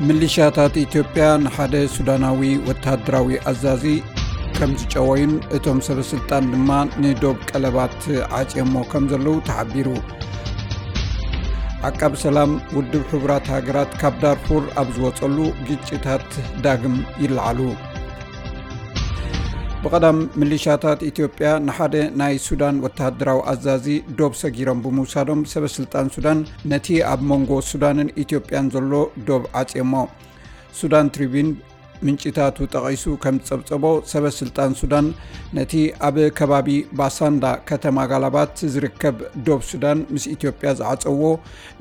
ምሊሻታት ኢትዮጵያ ንሓደ ሱዳናዊ ወተሃደራዊ ኣዛዚ ከም ዝጨወዩን እቶም ሰበ ስልጣን ድማ ንዶብ ቀለባት ዓጽዮሞ ከም ዘለዉ ተሓቢሩ። ዓቃብ ሰላም ውድብ ሕቡራት ሃገራት ካብ ዳርፉር ኣብ ዝወጸሉ ግጭታት ዳግም ይለዓሉ። ብቐዳም ምሊሻታት ኢትዮጵያ ንሓደ ናይ ሱዳን ወተሃደራዊ ኣዛዚ ዶብ ሰጊሮም ብምውሳዶም ሰበ ስልጣን ሱዳን ነቲ ኣብ መንጎ ሱዳንን ኢትዮጵያን ዘሎ ዶብ ዓጽዮሞ። ሱዳን ትሪቢን ምንጭታቱ ጠቒሱ ከም ዝጸብጸቦ ሰበ ስልጣን ሱዳን ነቲ ኣብ ከባቢ ባሳንዳ ከተማ ጋላባት ዝርከብ ዶብ ሱዳን ምስ ኢትዮጵያ ዝዓጸዎ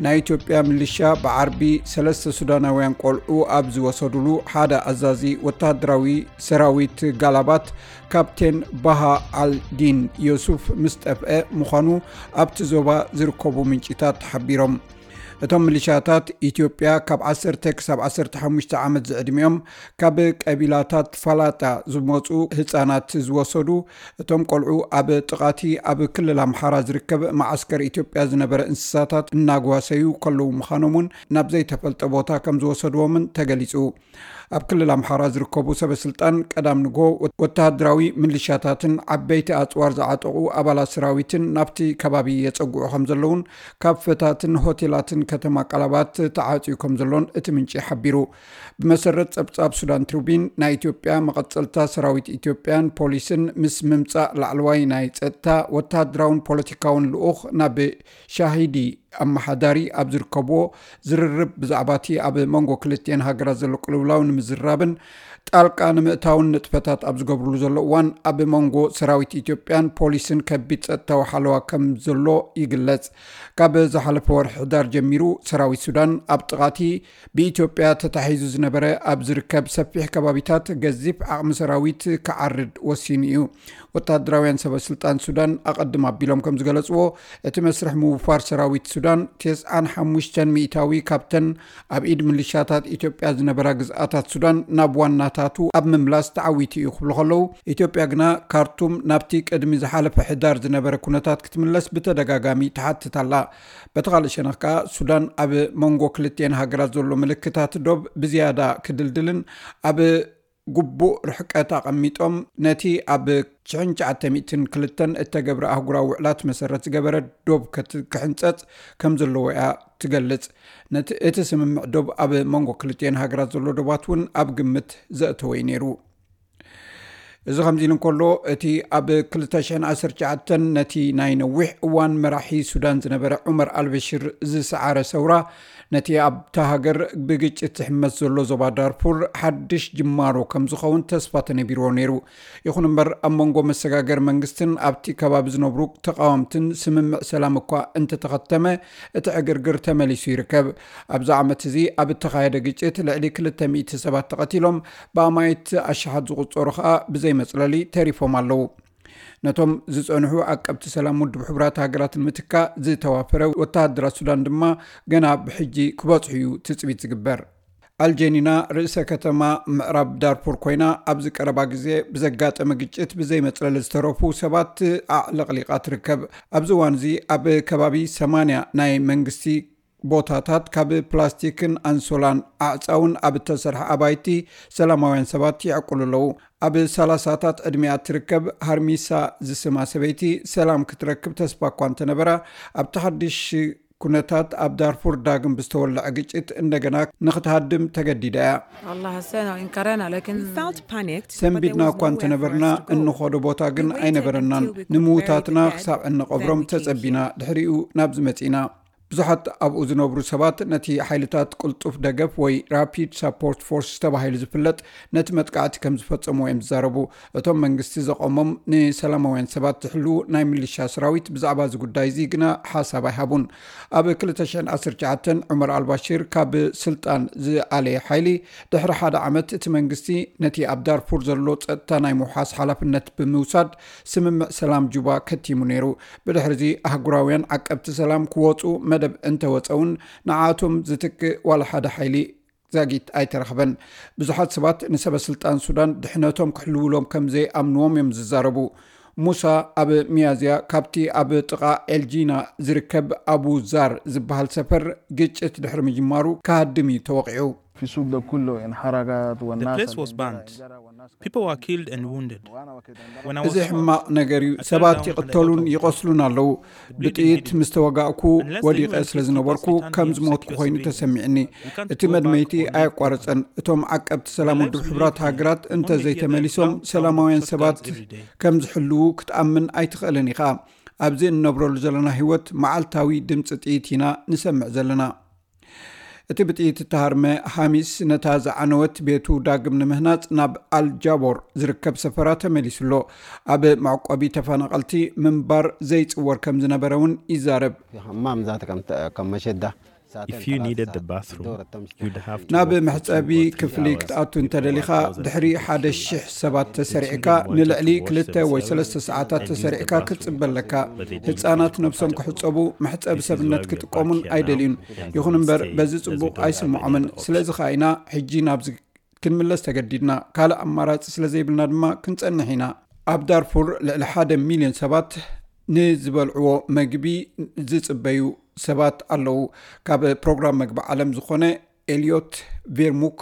ናይ ኢትዮጵያ ምልሻ ብዓርቢ ሰለስተ ሱዳናውያን ቆልዑ ኣብ ዝወሰዱሉ ሓደ ኣዛዚ ወተሃደራዊ ሰራዊት ጋላባት ካፕቴን ባሃ ኣልዲን ዮሱፍ ምስ ጠፍአ ምዃኑ ኣብቲ ዞባ ዝርከቡ ምንጭታት ሓቢሮም። እቶም ምልሻታት ኢትዮጵያ ካብ ዓሰርተ ክሳብ ዓሰርተ ሓሙሽተ ዓመት ዝዕድሚኦም ካብ ቀቢላታት ፋላጣ ዝመፁ ህፃናት ዝወሰዱ እቶም ቆልዑ ኣብ ጥቓቲ ኣብ ክልል ኣምሓራ ዝርከብ መዓስከር ኢትዮጵያ ዝነበረ እንስሳታት እናጓሰዩ ከለዉ ምዃኖም እውን ናብ ዘይተፈልጠ ቦታ ከም ዝወሰድዎምን ተገሊፁ። ኣብ ክልል ኣምሓራ ዝርከቡ ሰበ ስልጣን ቀዳም ንግሆ ወተሃደራዊ ምልሻታትን ዓበይቲ ኣፅዋር ዝዓጠቑ ኣባላት ሰራዊትን ናብቲ ከባቢ የፀግዑ ከም ዘለውን ካብ ፈታትን ሆቴላትን ከተማ ቃላባት ተዓፅዩ ከም ዘሎን እቲ ምንጪ ሓቢሩ። ብመሰረት ጸብጻብ ሱዳን ትሪቢን ናይ ኢትዮጵያ መቐጸልታ ሰራዊት ኢትዮጵያን ፖሊስን ምስ ምምጻእ ላዕለዋይ ናይ ጸጥታ ወተሃደራውን ፖለቲካውን ልኡኽ ናብ ሻሂዲ ኣመሓዳሪ ኣብ ዝርከብዎ ዝርርብ ብዛዕባ እቲ ኣብ መንጎ ክልቲኤን ሃገራት ዘሎ ቅልውላው ንምዝራብን ጣልቃ ንምእታውን ንጥፈታት ኣብ ዝገብርሉ ዘሎ እዋን ኣብ መንጎ ሰራዊት ኢትዮጵያን ፖሊስን ከቢድ ጸጥታዊ ሓለዋ ከም ዘሎ ይግለጽ። ካብ ዝሓለፈ ወርሒ ሕዳር ጀሚሩ ሰራዊት ሱዳን ኣብ ጥቓቲ ብኢትዮጵያ ተታሒዙ ዝነበረ ኣብ ዝርከብ ሰፊሕ ከባቢታት ገዚፍ ዓቕሚ ሰራዊት ክዓርድ ወሲኑ እዩ። ወታደራውያን ሰበ ስልጣን ሱዳን ኣቐድም ኣቢሎም ከም ዝገለጽዎ እቲ መስርሕ ምውፋር ሰራዊት ሱዳን ተስዓን ሓሙሽተን ሚእታዊ ካብተን ኣብ ኢድ ምልሻታት ኢትዮጵያ ዝነበራ ግዝኣታት ሱዳን ናብ ዋናታቱ ኣብ ምምላስ ተዓዊቱ እዩ ክብሉ ከለዉ ኢትዮጵያ ግና ካርቱም ናብቲ ቅድሚ ዝሓለፈ ሕዳር ዝነበረ ኩነታት ክትምለስ ብተደጋጋሚ ትሓትት ኣላ። በቲ ካልእ ሸነኽ ከኣ ሱዳን ኣብ መንጎ ክልቲኤን ሃገራት ዘሎ ምልክታት ዶብ ብዝያዳ ክድልድልን ኣብ ግቡእ ርሕቀት ኣቐሚጦም ነቲ ኣብ ሽሕን ትሽዓተ ሚእትን ክልተን እተገብረ ኣህጉራዊ ውዕላት መሰረት ዝገበረ ዶብ ከት- ክሕንጸጽ ከም ዘለዎ እያ ትገልጽ። ነቲ እቲ ስምምዕ ዶብ ኣብ መንጎ ክልቲኤን ሃገራት ዘሎ ዶባት እውን ኣብ ግምት ዘእተወ እዩ ነይሩ። እዚ ከምዚ ኢሉ እንከሎ እቲ ኣብ ክልተ ሽሕን ዓሰርተ ትሽዓተን ነቲ ናይ ነዊሕ እዋን መራሒ ሱዳን ዝነበረ ዑመር ኣልበሽር ዝሰዓረ ሰውራ ነቲ ኣብታ ሃገር ብግጭት ዝሕመስ ዘሎ ዞባ ዳርፉር ሓድሽ ጅማሮ ከም ዝኸውን ተስፋ ተነቢርዎ ነይሩ። ይኹን እምበር ኣብ መንጎ መሰጋገር መንግስትን ኣብቲ ከባቢ ዝነብሩ ተቃወምትን ስምምዕ ሰላም እኳ እንተተኸተመ እቲ ዕግርግር ተመሊሱ ይርከብ። ኣብዚ ዓመት እዚ ኣብ እተኻየደ ግጭት ልዕሊ ክልተ ሚእቲ ሰባት ተቐቲሎም ብኣማይት ኣሽሓት ዝቑጸሩ ከኣ ብዘይ መጽለሊ ተሪፎም ኣለዉ። ነቶም ዝጸንሑ ዓቀብቲ ሰላም ውድብ ሕቡራት ሃገራት ንምትካእ ዝተዋፈረ ወተሃደራት ሱዳን ድማ ገና ብሕጂ ክበጽሑ እዩ ትጽቢት ዝግበር። ኣልጀኒና ርእሰ ከተማ ምዕራብ ዳርፉር ኮይና ኣብዚ ቀረባ ግዜ ብዘጋጠመ ግጭት ብዘይ መጽለሊ ዝተረፉ ሰባት ኣዕለቕሊቓ ትርከብ። ኣብዚ እዋን እዚ ኣብ ከባቢ ሰማንያ ናይ መንግስቲ ቦታታት ካብ ፕላስቲክን ኣንሶላን ኣዕጻውን ኣብ እተሰርሐ ኣባይቲ ሰላማውያን ሰባት ይዕቁሉ ኣለዉ። ኣብ ሰላሳታት ዕድሚኣ እትርከብ ሃርሚሳ ዝስማ ሰበይቲ ሰላም ክትረክብ ተስፋ እኳ እንተነበራ ኣብቲ ሓድሽ ኩነታት ኣብ ዳርፉር ዳግም ብዝተወለዐ ግጭት እንደገና ንክትሃድም ተገዲዳ እያ። والله حسينا وانكرينا لكن We felt panicked. ሰንቢድና እኳ እንተነበርና እንኸዶ ቦታ ግን ኣይነበረናን። ንምዉታትና ክሳብ እንቐብሮም ተጸቢና ድሕሪኡ ናብዚ መጺና። ብዙሓት ኣብኡ ዝነብሩ ሰባት ነቲ ሓይልታት ቅልጡፍ ደገፍ ወይ ራፒድ ሳፖርት ፎርስ ተባሂሉ ዝፍለጥ ነቲ መጥቃዕቲ ከም ዝፈጸምዎ እዮም ዝዛረቡ። እቶም መንግስቲ ዘቖሞም ንሰላማውያን ሰባት ዝሕልዉ ናይ ሚሊሻ ሰራዊት ብዛዕባ እዚ ጉዳይ እዚ ግና ሓሳብ ኣይሃቡን። ኣብ ክልተ ሽሕን ዓሰርተ ትሽዓተን ዑመር ኣልባሽር ካብ ስልጣን ዝኣለየ ሓይሊ ድሕሪ ሓደ ዓመት እቲ መንግስቲ ነቲ ኣብ ዳርፉር ዘሎ ጸጥታ ናይ ምውሓስ ሓላፍነት ብምውሳድ ስምምዕ ሰላም ጁባ ከቲሙ ነይሩ። ብድሕሪ እዚ ኣህጉራውያን ዓቀብቲ ሰላም ክወጹ መደብ እንተወጸ እውን ንዓቶም ዝትክእ ዋላ ሓደ ሓይሊ ዛጊት ኣይተረኽበን። ብዙሓት ሰባት ንሰበ ስልጣን ሱዳን ድሕነቶም ክሕልውሎም ከም ዘይኣምንዎም እዮም ዝዛረቡ። ሙሳ ኣብ ሚያዝያ ካብቲ ኣብ ጥቓ ኤልጂና ዝርከብ ኣቡ ዛር ዝበሃል ሰፈር ግጭት ድሕሪ ምጅማሩ ክሃድም እዩ ተወቒዑ። في السوق ده كله انحرقت. The والناس place اللي was عندنا burned. People were killed and wounded. When I was እዚ ሕማቕ ነገር እዩ። ሰባት ይቕተሉን ይቖስሉን ኣለዉ። ብጥይት ምስ ተወጋእኩ ወዲቐ ስለ ዝነበርኩ ከም ዝሞትኩ ኮይኑ ተሰሚዕኒ። እቲ መድመይቲ ኣየቋረጸን። እቶም ዓቀብቲ ሰላም ውድብ ሕቡራት ሃገራት እንተ ዘይተመሊሶም ሰላማውያን ሰባት ከም ዝሕልዉ ክትኣምን ኣይትኽእልን ኢኻ። ኣብዚ እንነብረሉ ዘለና ህይወት መዓልታዊ ድምፂ ጥይት ኢና ንሰምዕ ዘለና። እቲ ብጥይት እተሃርመ ሃሚስ ነታ ዝዓነወት ቤቱ ዳግም ንምህናጽ ናብ ኣልጃቦር ዝርከብ ሰፈራ ተመሊሱ ኣሎ። ኣብ መዕቆቢ ተፈናቐልቲ ምንባር ዘይጽወር ከም ዝነበረ እውን ይዛረብ። If you needed the bathroom, you'd have to ናብ walk for መሕጸቢ two or three ክፍሊ hours ክትኣቱ እንተደሊኻ with all the thousand ድሕሪ ሓደ people. ሽሕ ሰባት ተሰሪዕካ ንልዕሊ ክልተ ወይ ሰለስተ ሰዓታት ተሰሪዕካ ክትጽበ ኣለካ። ህጻናት ነብሶም ክሕጸቡ መሕጸቢ ሰብነት ክጥቀሙን ኣይደልዩን። ይኹን እምበር በዚ ጽቡቕ ኣይስምዖምን። ስለዚ ኸኣ ኢና ሕጂ ናብዚ ክንምለስ ተገዲድና። ካልእ ኣማራጺ ስለ ዘይብልና ድማ ክንጸንሕ ኢና። ኣብ ዳርፉር ልዕሊ ሓደ ሚልዮን ሰባት ንዝበልዕዎ መግቢ ዝጽበዩ ሰባት ኣለዉ። ካብ ፕሮግራም መግቢ ዓለም ዝኾነ ኤልዮት ቬርሙክ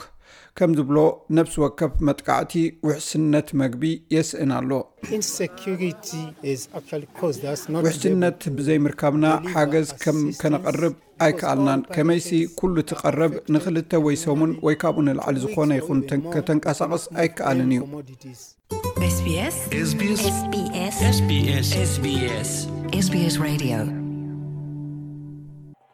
ከም ዝብሎ፣ ነፍሲ ወከፍ መጥቃዕቲ ውሕስነት መግቢ የስእን ኣሎ። Insecurity is actually caused us not to be able ውሕስነት ብዘይምርካብና ሓገዝ ከም ከነቐርብ ኣይከኣልናን። ከመይሲ ኩሉ እቲ ቀረብ ንኽልተ ወይ ሰሙን ወይ ካብኡ ንላዕሊ ዝኾነ ይኹን ተን- ከተንቀሳቕስ ኣይከኣልን እዩ። commodities. SBS SBS SBS SBS SBS Radio